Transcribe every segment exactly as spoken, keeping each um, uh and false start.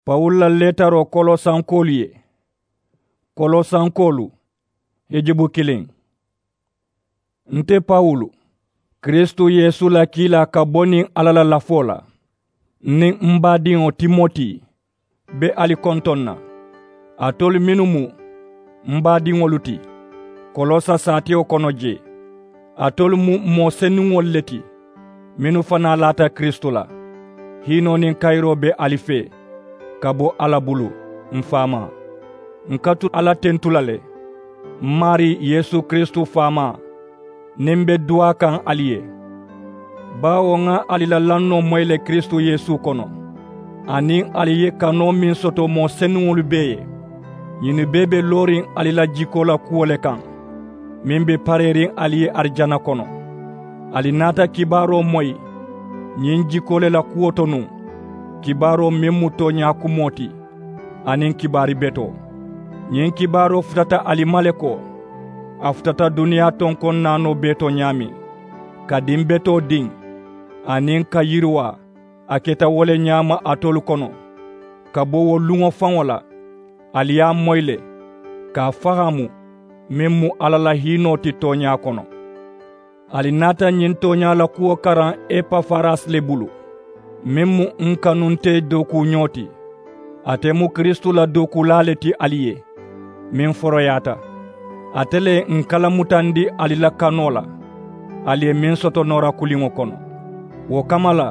Pawulu la leetaroo kolosankoolu ye. Kolosankoolu, hijubu kiliŋ. Nte pawulu, kiristu yeesu la kiilaa ka bo niŋ alla la lafoo la, niŋ m baadiŋo timoti be ali kontoŋ na, alitolu mennu mu m baadiŋolu ti kolosa saatewo kono jee. Alitolu mu moo senuŋolu le ti mennu fanaa laata kiristu la. Hiinoo niŋ kayiroo be ali fee ka bo alla bulu, m faamaa. N ka tu alla tentu la le, m maarii yeesu kiristu faamaa, niŋ m be duwaa kaŋ ali ye. Baawo ŋa ali la lannoo moyi le kiristu yeesu kono, aniŋ ali ye kanoo meŋ soto moo senuŋolu bee ye. Ñinnu bee be looriŋ ali la jikoo la kuwo le kaŋ, meŋ be pareeriŋ ali ye arijana kono. Ali naata kibaaroo moyi ñiŋ jikoo le la kuwo to nuŋ, kibaaroo meŋ mu tooñaa kumoo ti, aniŋ kibaari betoo. Ñiŋ kibaaroo futata ali ma le ko a futata duniyaa tonkoŋ naanoo bee to ñaameŋ, ka diŋ betoo diŋ, aniŋ ka yiriwaa a keta wo le ñaama alitolu kono. Ka bo wo luŋo faŋo la, ali ye a moyi le ka a fahaamu, meŋ mu alla la hiinoo ti tooñaa kono. Ali naata ñiŋ tooñaa la kuwo karaŋ epafarasi le bulu, meŋ mu n kanunte dookuuñoo ti. Ate mu kiristu la dookuulaa le ti ali ye, meŋ foroyaata. Ate le ye n kalamutandi ali la kanoo la, ali ye meŋ soto noora kuliŋo kono. Wo kamma la,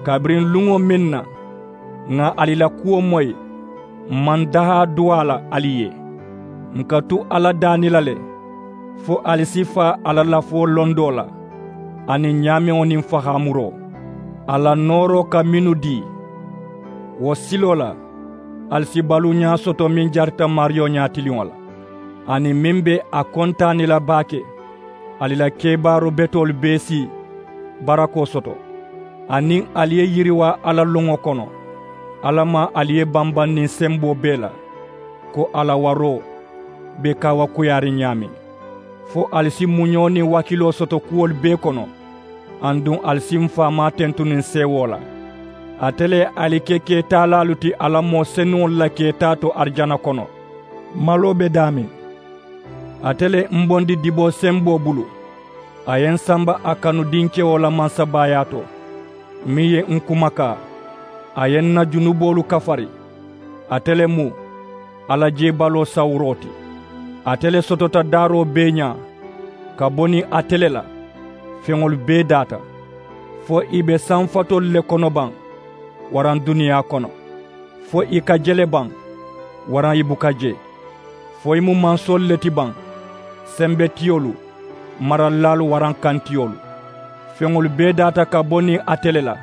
kabiriŋ luŋo meŋ na ŋà ali la kuwo moyi, m maŋ dahaa duwaa la ali ye. N ka tu alla daani la le, fo ali si faa a la lafoo londoo la, aniŋ ñaameŋo niŋ fahaamuroo, a la nooroo ka mennu dii. Wo siloo la, ali si baluuñaa soto meŋ jarita maariyo ñaatiliŋo la, aniŋ meŋ be a kontaani la baake. Ali la kebaaroo betoolu bee si barakoo soto, aniŋ ali ye yiriwaa alla loŋo kono. Alla maŋ ali ye bambaŋ niŋ semboo bee la, ko a la waroo be kaawakuyaariŋ ñaameŋ, fo ali si muñoo niŋ waakiloo soto kuwolu bee kono. Aduŋ ali si m faamaa tentu niŋ seewoo la. Ate le ye ali ke keetaalaalu ti a la moo senuŋolu la keetaa to arijana kono. Maloo be daameŋ. Ate le ye m bondi diboo semboo bulu, a ye n samba a kanu dinkewo la mansabaayaa to, meŋ ye n kumakaa, a ye n na junuboolu kafari. Ate le mu alla jeebaloo sawuroo ti. Ate le sotota daaroo bee ñaa, ka bo niŋ ate le la feŋolu bee daata, fo ì be sanfatoolu le kono baŋ waraŋ duniyaa kono, fo ì ka je le baŋ waraŋ ì buka je, fo ì mu mansoolu le ti baŋ, sembetiyolu, maralilaalu waraŋ kantiyoolu. Feŋolu bee daata ka bo niŋ ate le la,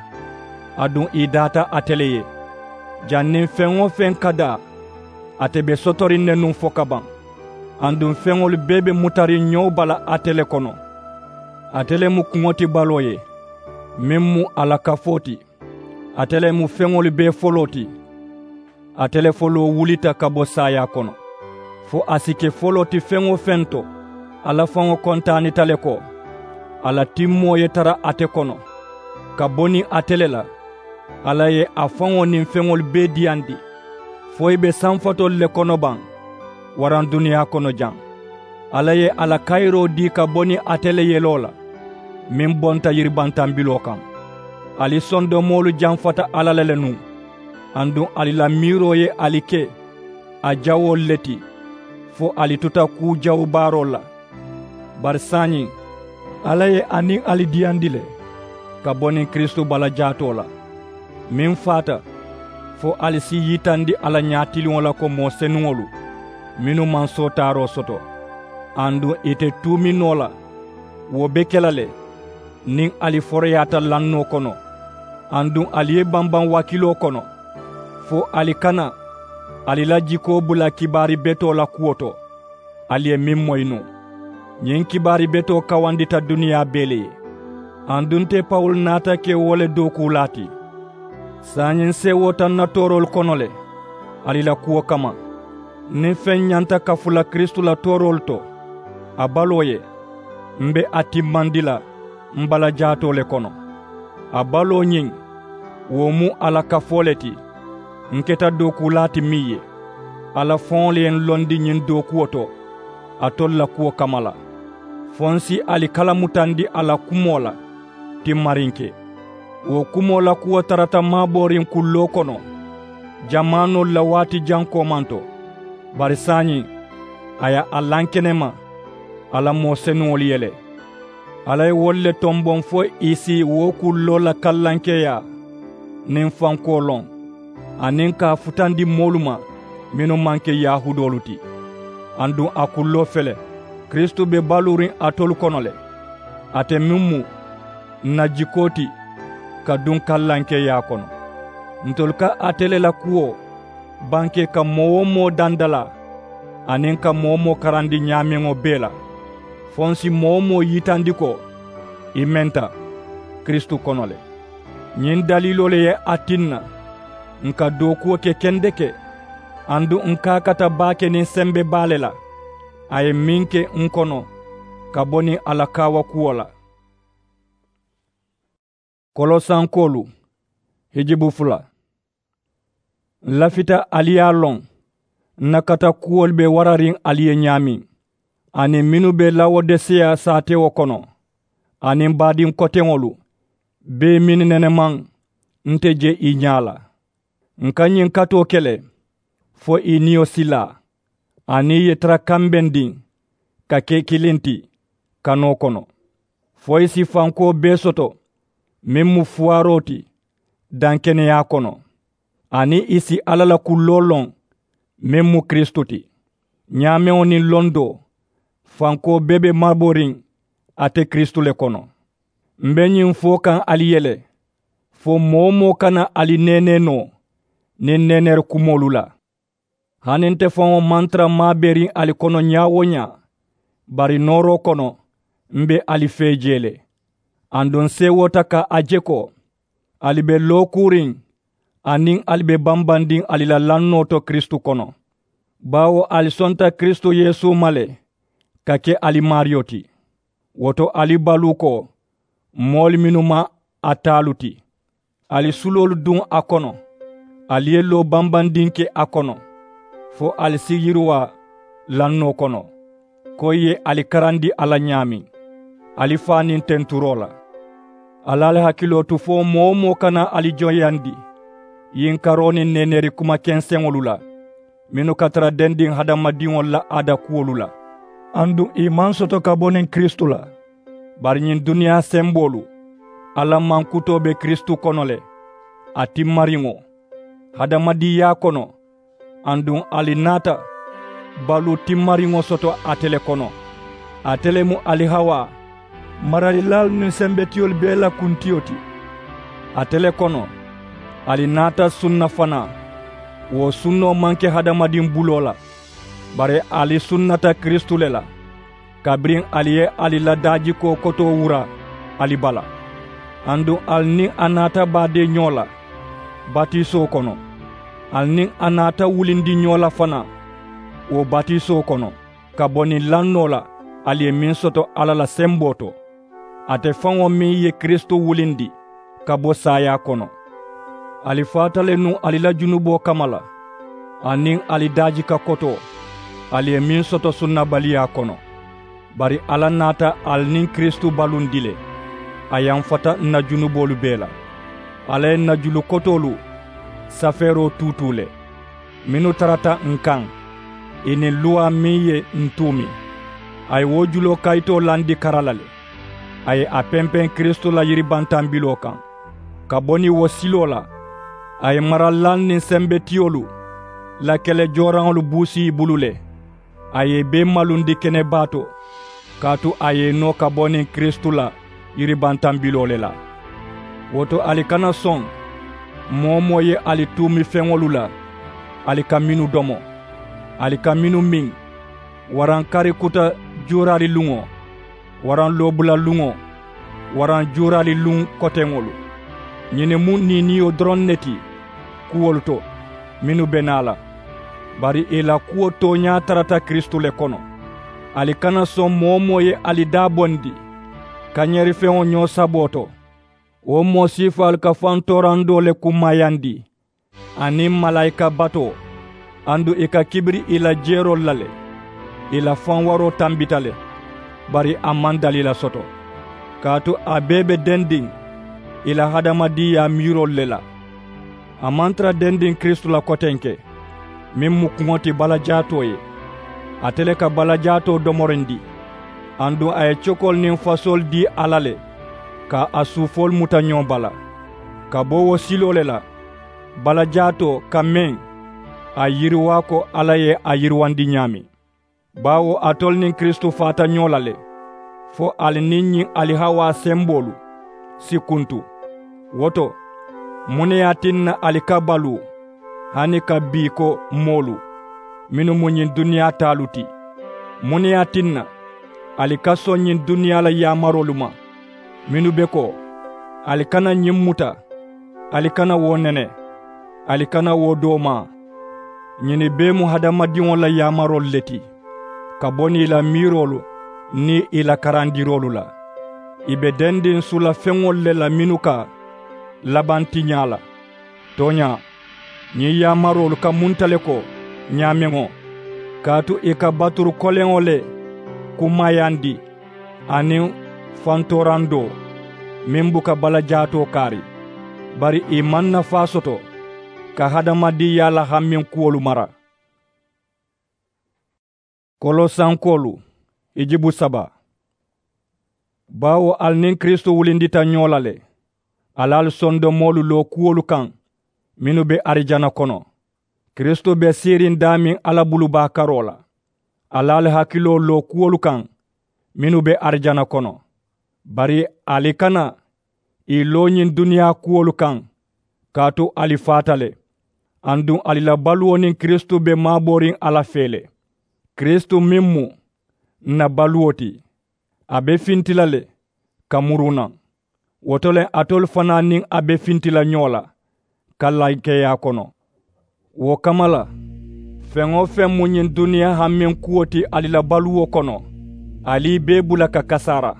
aduŋ ì daata ate le ye. Janniŋ feŋ-wo-feŋ ka daa, ate be sotoriŋ ne nuŋ fo ka baŋ. Aduŋ feŋolu bee be mutariŋ ñoo bala ate le kono. Ate le mu kuŋo ti baloo ye, meŋ mu a la kafoo ti. Ate le mu feŋolu bee foloo ti. Ate le foloo wulita ka bo saayaa kono, fo a si ke foloo ti feŋ-wo-feŋ to. Alla faŋo kontaanita le ko a la timmoo ye tara ate kono, ka bo niŋ ate le la. Alla ye a faŋo niŋ feŋolu bee diyandi, fo ì be sanfatoolu le kono baŋ waraŋ duniyaa kono jaŋ. Alla ye a la kayiroo dii ka bo niŋ ate le yeloo la, meŋ bonta yiribantambiloo kaŋ. Ali sondomoolu jamfata alla la le nuŋ, aduŋ ali la miiroo ye ali ke a jawoolu le ti, fo ali tuta kuu jawu baaroolu la. Bari saayiŋ, alla ye a niŋ ali diyandi le ka bo niŋ kiristu bala jaatoo la, meŋ faata, fo ali si yitandi a la ñaatiliŋo la ko moo senuŋolu mennu maŋ sootaaroo soto, aduŋ ì te tuumi noo la. Wo be ke la le niŋ ali foroyaata lannoo kono, aduŋ ali ye bambaŋ waakiloo kono, fo ali kana ali la jikoo bula kibaari betoo la kuwo to, ali ye meŋ moyi nuŋ. Ñiŋ kibaari betoo kawandita duniyaa bee le ye. Aduŋ nte pawulu naata ke wo le dookuulaa ti. Saayiŋ seewoota n na tooroolu kono le ali la kuwo kamma. Niŋ feŋ ñanta kafu la kiristu la tooroolu to, a baloo ye, m be a timmandi la m bala jaatoo le kono. A baloo ñiŋ, wo mu a la kafoo le ti. N keta dookuulaa ti meŋ ye, alla faŋo le ye n londi ñiŋ dookuwo to alitolu la kuwo kamma la, fo n si ali kalamutandi a la kumoo la timmariŋ ke. Wo kumoo la kuwo tarata maabooriŋ kulloo kono jamaanoolu la waati jaŋ koomanto. Bari saayiŋ a ye a lankenema a la moo senuŋolu ye le. Alla ye wolu le tomboŋ fo ì si wo kulloo la kallankeeyaa niŋ fankoo loŋ, aniŋ ka a futandi moolu ma mennu maŋ ke yahuudoolu ti. Aduŋ a kulloo fele, kiristu be baluuriŋ alitolu kono le, ate meŋ mu n na jikoo ti ka duŋ kallankeeyaa kono. Ntolu ka ate le la kuwo banke ka moo-wo-moo dandalaa aniŋ ka moo-wo-moo karandi ñaameŋo bee la, fo n si moo-wo-moo yitandi ko ì menta kiristu kono le. Ñiŋ daliiloo le ye a tinna ǹ ka dookuwo ke kendeke, aduŋ ǹ kaakata baake niŋ sembe baa le la a ye meŋ ke ǹ kono ka bo niŋ a la kaawakuwo la. Kolosankoolu hijibu fula. N lafita ali ye a loŋ n na kata kuwolu be warariŋ ali ye ñaameŋ, aniŋ mennu be lawodeseya saatewo kono, aniŋ baadiŋ koteŋolu bee mennu nenemaŋ nte je ì ñaa la. Ǹ ka ñiŋ katoo ke le fo ì niyo si laa, aniŋ ì ye tara kambendiŋ ka ke kiliŋ ti kanoo kono, fo ì si fankoo bee soto meŋ mu fuwaaroo ti dankeneyaa kono, aniŋ ì si alla la kulloo loŋ meŋ mu kiristu ti. Ñaameŋo niŋ londoo fankoo bee be maaboriŋ ate kiristu le kono. M be ñiŋ fo kaŋ ali ye le, fo moo-wo-moo kana ali neenee noo niŋ neeneeri kumoolu la. Hani nte faŋo maŋ tara maabeeriŋ ali kono ñaa-wo-ñaa, bari nooroo kono m be ali fee jee le. Aduŋ n seewoota ka a je ko ali be lookuuriŋ aniŋ ali be bambandiŋ ali la lannoo to kiristu kono, baawo ali sonta kiristu yeesu ma le ka ke ali maariyo ti. Wo to ali baluu ko moolu mennu mu a taalu ti, ali suloolu duŋ a kono, ali ye loo bambandiŋ ke a kono, fo ali si yiriwaa lannoo kono, ko ì ye ali karandi a la ñaameŋ ali faa niŋ tenturoo la. Ali ali hakiloo tu fo moo-wo-moo kana ali joyandi yinkaroo niŋ neeneeri kuma kenseŋolu la mennu ka tara dendiŋ hadamadiŋolu la aada kuwolu la, aduŋ ì maŋ soto ka bo niŋ kiristu la. Bari ñiŋ duniyaa semboolu alla mankutoo be kiristu kono le, a timmariŋo hadamadiŋyaa kono, aduŋ ali naata baluu timmariŋo soto ate le kono. Ate le mu ali hawaa maralilaalu niŋ sembetiyolu bee la kuntiyo ti. Ate le kono ali naata sunna fanaa, wo sunnoo maŋ ke hadamadiŋ buloo la, bari ali sunnata kiristu le la kabiriŋ ali ye ali la daajikoo kotoo wura ali bala. Aduŋ ali niŋ a naata baadee ñoo la batisoo kono, ali niŋ a naata wulindi ñoo la fanaa wo batisoo kono, ka bo niŋ lannoo la ali ye meŋ soto alla la semboo to, ate faŋo meŋ ye kiristu wulindi ka bo saayaa kono. Ali faata le nuŋ ali la junuboo kamma la, aniŋ ali daajika kotoo ali ye meŋ soto sunnabaliyaa kono. Bari alla naata ali niŋ kiristu balundi le, a yamfata n na junuboolu bee la. Alla ye n na julu kotoolu safeeroo tuutuu le mennu tarata n kaŋ, ì niŋ luwaa meŋ ye n tuumi. A ye wo juloo kayitoo landi kara la le. A ye a pempeŋ kiristu la yiribantambiloo kaŋ, ka bo niŋ wo siloo la. A ye maralilaalu niŋ sembetiyolu la kele jooraŋolu buusi ì bulu le. A ye ì bee malundi kenebaa to, kaatu a ye ì noo ka bo niŋ kiristu la yiribantambiloo le la. Wo to ali kana soŋ moo-wo-moo ye ali tuumi feŋolu la, ali ka mennu domo, ali ka mennu miŋ, waraŋ kari kuta juuraaliluŋo, waraŋ loobulaluŋo, waraŋ juuraaliluŋ koteŋolu. Ñiŋ ne mu niiniyo doroŋ ne ti kuwolu to mennu be naa la. Bari ì la kuwo tooñaa tarata kiristu le kono. Ali kana soŋ moo-wo-moo ye ali daabondi kañeerifeŋo ñoo saboo to. Wo moo siifaalu ka fantoorandoo le kummayandi aniŋ malaayika batoo, aduŋ ì ka kibiri ì la jeeroolu la le. Ì la faŋ waroo tambita le, bari a maŋ daliila soto. Kaatu a bee be dendiŋ ì la hadamadiŋyaa miiroolu le la. A maŋ tara dendiŋ kiristu la kotenke, meŋ mu kuŋo ti balajaatoo ye. Ate le ka balajaatoo domorindi, aduŋ a ye cokoolu niŋ fasoolu dii alla le, ka a suufoolu muta ñoo bala. Ka bo wo siloo le la, balajaatoo ka meŋ a yiriwaa ko alla ye a yiriwandi ñaameŋ. Baawo alitolu niŋ kiristu faata ñoo la le, fo ali niŋ ñiŋ ali hawaa semboolu si kuntu. Wo to, muŋ ne ye a tinna ali ka baluu hani ka bii ko moolu mennu mu ñiŋ duniyaa taalu ti? Muŋ ne ye a tinna ali ka soŋ ñiŋ duniyaa la yaamaroolu ma mennu be ko, ali kana ñiŋ muta, ali kana wo nene, ali kana wo doomaa? Ñinnu bee mu hadamadiŋo la yaamaroolu le ti, ka bo niŋ ì la miiroolu niŋ ì la karandiroolu la. Ì be dendiŋ sula feŋolu le la mennu ka labaŋ tiñaa la. Tooñaa, ñiŋ yaamaroolu ka munta le ko ñaameŋo, kaatu ì ka baturu koleŋo le kummayandi aniŋ fantoorandoo meŋ buka balajaatoo kaari. Bari ì maŋ nafaa soto ka hadamadiŋyaa la hammeŋ kuwolu mara. Kolosankoolu, hijibu saba. Baawo ali niŋ kiristu wulindita ñoo la le, ali ali sondomoolu loo kuwolu kaŋ mennu be arijana kono. Kiristu be siiriŋ daameŋ alla bulu baa karoo la. Ali ali hakiloo loo kuwolu kaŋ mennu be arijana kono. Bari ali kana ì loo ñiŋ duniyaa kuwolu kaŋ, kaatu ali faata le, aduŋ ali la baluwo niŋ kiristu be maabooriŋ alla fee le. Kiristu meŋ mu ǹ na baluwo ti, a be finti la le ka muru naŋ. Wo to le alitolu fanaa niŋ a be finti la ñoo la ka lankeeyaa kono. Wo kamma la, feŋ-wo-feŋ mu ñiŋ duniyaa hammeŋ kuwo ti ali la baluwo kono, ali ì bee bula ka kasaara.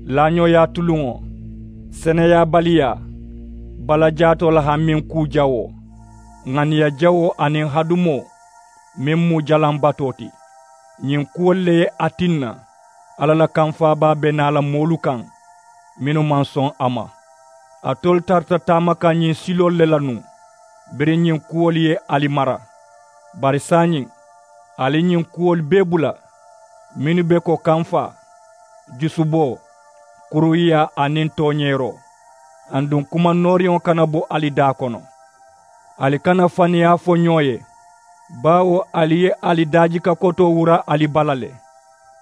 Laañooyaa tuluŋo, seneyaabaliyaa, balajaatoo la hammeŋ kuu jawoo, ŋaniya jawoo aniŋ hadumoo meŋ mu jalaŋ batoo ti. Ñiŋ kuwolu le ye a tinna alla la kamfaabaa be naa la moolu kaŋ mennu maŋ soŋ a ma. Alitolu tarata taama kaŋ ñiŋ siloolu le la nuŋ, biriŋ ñiŋ kuwolu ye ali mara. Bari saayiŋ, ali ñiŋ kuwolu bee bula mennu be ko kamfaa, jusuboo, kuruwiyaa aniŋ tooñeeroo. Aduŋ kuma nooriŋo kana bo ali daa kono. Ali kana faniyaa fo ñoo ye, baawo ali ye ali daajika kotoo wura ali bala le,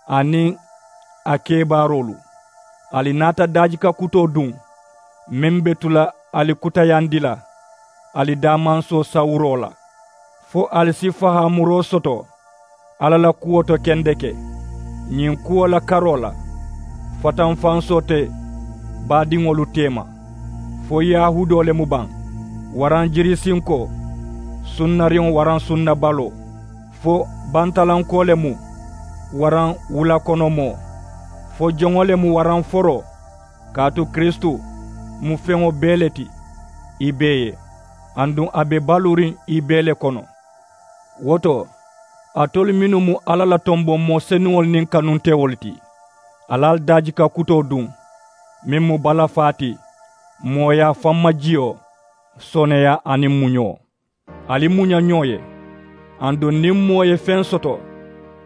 aniŋ a kebaaroolu. Ali naata daajika kutoo duŋ meŋ be tu la ali kutayandi la ali daamansoo sawuroo la, fo ali si fahaamuroo soto alla la kuwo to kendeke. Ñiŋ kuwo la karoo la, fatanfansoo te baadiŋolu teema, fo yahuudoo le mu baŋ, waraŋ jirisinkoo, sunnariŋo waraŋ sunnabaloo, fo bantalankoo le mu, waraŋ wulakonomoo, fo joŋo le mu waraŋ foroo. Kaatu kiristu mu feŋo bee le ti ì bee ye, aduŋ a be baluuriŋ ì bee le kono. Wo to, alitolu mennu mu alla la tomboŋ moo senuŋolu niŋ kanuntewolu ti, ali ali daajika kutoo duŋ meŋ mu balafaa ti, mooyaa fammajiyo, sooneeyaa aniŋ muñoo. Ali muña ñoo ye. Aduŋ niŋ moo ye feŋ soto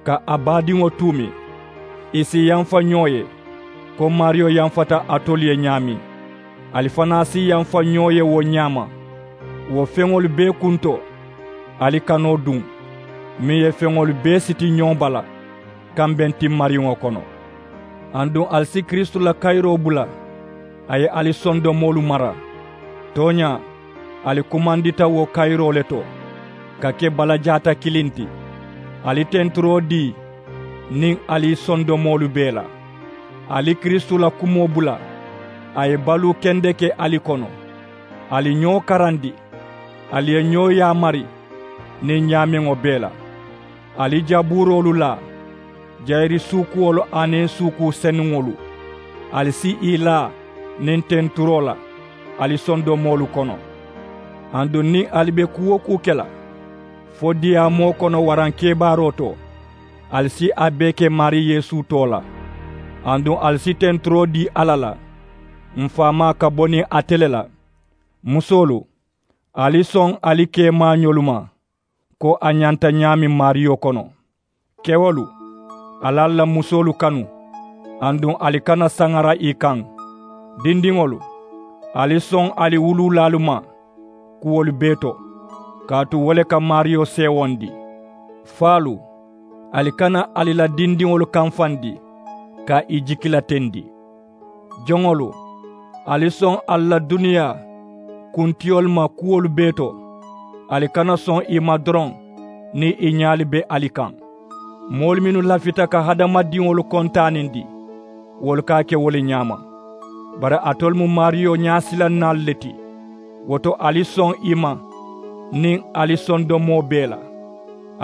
ka a baadiŋo tuumi, ì si yamfa ñoo ye, ko maariyo yamfata alitolu ye ñaameŋ. Ali fanaa si yamfa ñoo ye wo ñaama. Wo feŋolu bee kunto, ali kanoo duŋ meŋ ye feŋolu bee siti ñoo bala kambeŋ timmariŋo kono. Aduŋ ali si kiristu la kayiroo bula, a ye ali sondomoolu mara. Tooñaa, ali kumandita wo kayiroo le to, ka ke balajaata kiliŋ ti. Ali tenturoo dii niŋ ali sondomoolu bee la. Ali kiristu la kumoo bula, a ye baluu kendeke ali kono. Ali ñoo karandi, ali ye ñoo yaamari niŋ ñaameŋo bee la. Ali jabuuroolu laa, jayiri suukuwolu aniŋ suukuu senuŋolu, ali si ì laa niŋ tenturoo la ali sondomoolu kono. Aduŋ niŋ ali be kuu-wo-kuu ke la fo diyaamoo kono waraŋ kebaaroo to, ali si a bee ke maarii yeesu too la. Aduŋ ali si tenturoo dii alla la, m̀ faamaa ka bo niŋ ate le la. Musoolu, ali soŋ ali keemaañolu ma ko a ñanta ñaameŋ maariyo kono. Kewolu, ali ali la musoolu kanu, aduŋ ali kana saŋara ì kaŋ. Dindiŋolu, ali soŋ ali wuluulaalu ma kuwolu bee to, kaatu wo le ka maariyo seewondi. Faalu, ali kana ali la dindiŋolu kamfandi ka ì jikilatendi. Joŋolu, ali soŋ ali la duniyaa kuntiyolu ma kuwolu bee to. Ali kana soŋ ì ma doroŋ niŋ ì ñaalu be ali kaŋ. Moolu mennu lafita ka hadamadiŋolu kontaanindi, wolu ka a ke wo le ñaama. Bari alitolu mu maariyo ñaasilannaalu le ti. Wo to ali soŋ ì ma niŋ ali sondomoo bee la.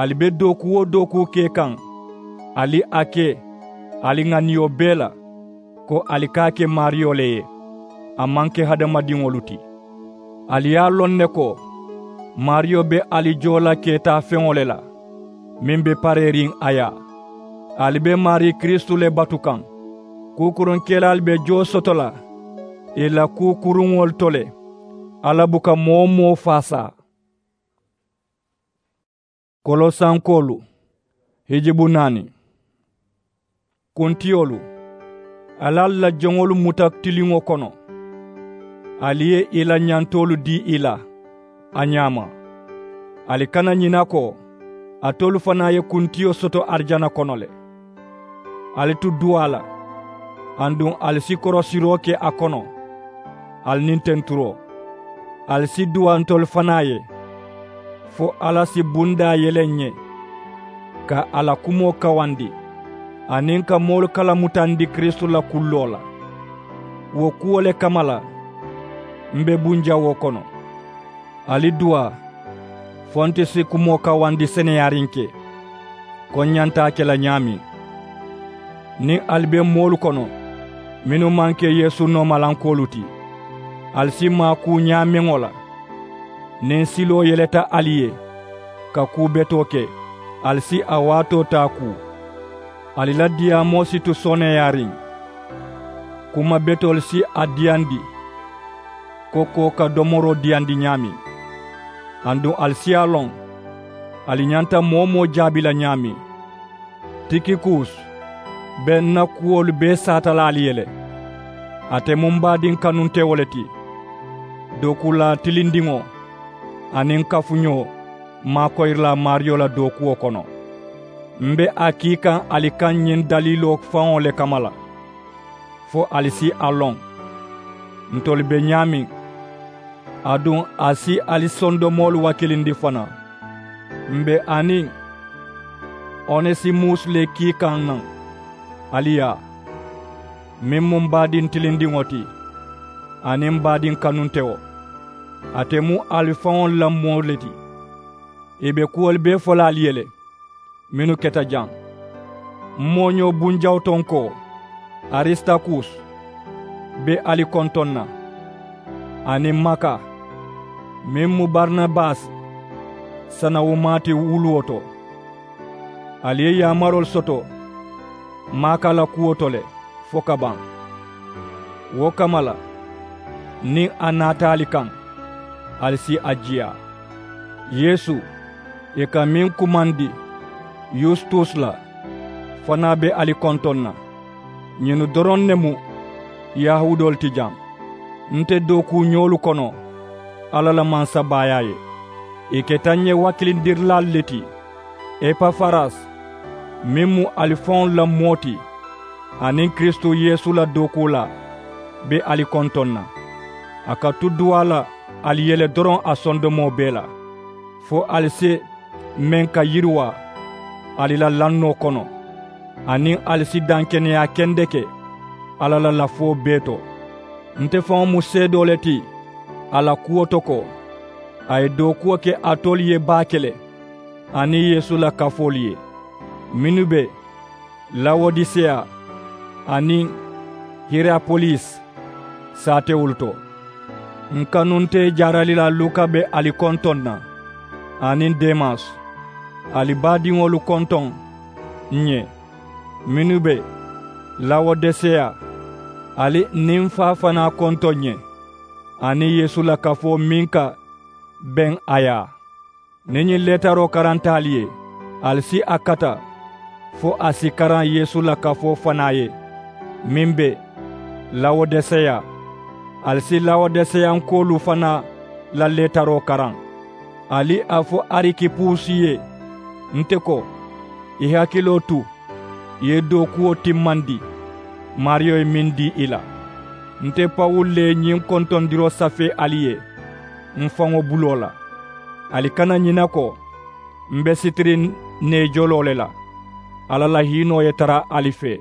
Ali be dookuu-wo-dookuu ke kaŋ, ali a ke ali ŋaniyo bee la ko ali ka a ke maariyo le ye, a maŋ ke hadamadiŋolu ti. Ali ye a loŋ ne ko maariyo be ali joo la keetaafeŋo le la, meŋ be pareeriŋ a yaa. Ali be maarii kiristu le batu kaŋ. Kuukuruŋkelaalu be joo soto la ì la kuu kuruŋolu to le. Alla buka moo-wo-moo faasaa. Kolosankoolu, hijibu naani. Kuntiyolu, ali ali la joŋolu muta tiliŋo kono. Ali ye ì la ñantoolu dii ì la a ñaama. Ali kana ñina ko alitolu fanaa ye kuntiyo soto arijana kono le. Ali tu duwaa la, aduŋ ali si korosiroo ke a kono, ali niŋ tenturoo. Ali si duwaa ntolu fanaa ye fo alla si bundaa yele ǹ ye ka a la kumoo kawandi, aniŋ ka moolu kalamutandi kiristu la kulloo la. Wo kuwo le kamma la m̀ be bunjawoo kono. Ali duwaa fo nte si kumoo kawandi seneyaariŋ ke ko ǹ ñanta a ke la ñaameŋ. Niŋ ali be moolu kono mennu maŋ ke yeesu noomalankoolu ti, ali si maakuu ñaameŋo la. Niŋ siloo yeleta ali ye ka kuu betoo ke, ali si a waatoo taa kuu. Ali la diyaamoo si tu sooneeyaariŋ. Kuma betoolu si a diyandi ko koo ka domoroo diyandi ñaameŋ. Aduŋ ali si a loŋ ali ñanta moo-wo-moo jaabi la ñaameŋ. Tikikus be ǹ na kuwolu bee saata la ali ye le. Ate mu m̀ baadiŋ kanuntewo le ti, dookuulaa tilindiŋo aniŋ kafuñoo maakoyirilaa maariyo la dookuwo kono. M̀ be a kii kaŋ ali kaŋ ñiŋ daliiloo faŋo le kamma la fo ali si a loŋ ntolu be ñaameŋ. Aduŋ a si ali sondomoolu wakilindi fanaa. M̀ be a niŋ onesimus le kii kaŋ naŋ ali yaa, meŋ mu m̀ baadiŋ tilindiŋo ti aniŋ m̀ baadiŋ kanuntewo. Ate mu ali faŋolu la moo le ti. Ì be kuwolu bee fo la ali ye le mennu keta jaŋ. M̀ mooñoo bunjawutonkoo arisitakus be ali kontoŋ na, aniŋ maka meŋ mu barinabasi sanawumaa ti wuluwo to. Ali ye yaamaroolu soto maaka la kuwo to le fo ka baŋ. Wo kamma la niŋ a naata ali kaŋ, ali si a jiyaa. Yeesu, ì ka meŋ kumandi yusitus la, fanaa be ali kontoŋ na. Ñinnu doroŋ ne mu yahuudoolu ti jaŋ. Nte dookuuñoolu kono alla la mansabaayaa ye. Ì keta ǹ ye wakilindirilaalu le ti. Epafaras, meŋ mu ali faŋolu la moo ti aniŋ kiristu yeesu la dookuulaa, be ali kontoŋ na. A ka tu duwaa la ali ye le doroŋ a sondomoo bee la, fo ali si meŋ ka yiriwaa ali la lannoo kono, aniŋ ali si dankeneyaa kendeke alla la lafuwo bee to. Nte faŋo mu seedoo le ti a la kuwo to ko a ye dookuwo ke alitolu ye baake le aniŋ yeesu la kafoolu ye. Mennu be lawodiseya aniŋ hiyerapolisi saatewolu to. N kanuntee jaaralilaa luka be ali kontoŋ na, aniŋ demas. Ali baadiŋolu kontoŋ ǹ ye, mennu be lawodeseya. Ali niŋ n faa fanaa kontoŋ ǹ ye, aniŋ yeesu la kafoo meŋ ka beŋ a yaa. Niŋ ñiŋ leetaroo karanta ali ye, ali si a kata fo a si karaŋ yeesu la kafoo fanaa ye meŋ be lawodeseya. Ali si lawodeseyankoolu fanaa la leetaroo karaŋ. Ali a fo arikipusi ye nte ko, i hakiloo tu, i ye dookuwo timmandi maariyo ye meŋ dii i la. Nte pawulu le ye ñiŋ kontondiroo safee ali ye m faŋo buloo la. Ali kana ñina ko m be sitiriŋ neejoloo le la. Alla la hiinoo ye tara ali fee.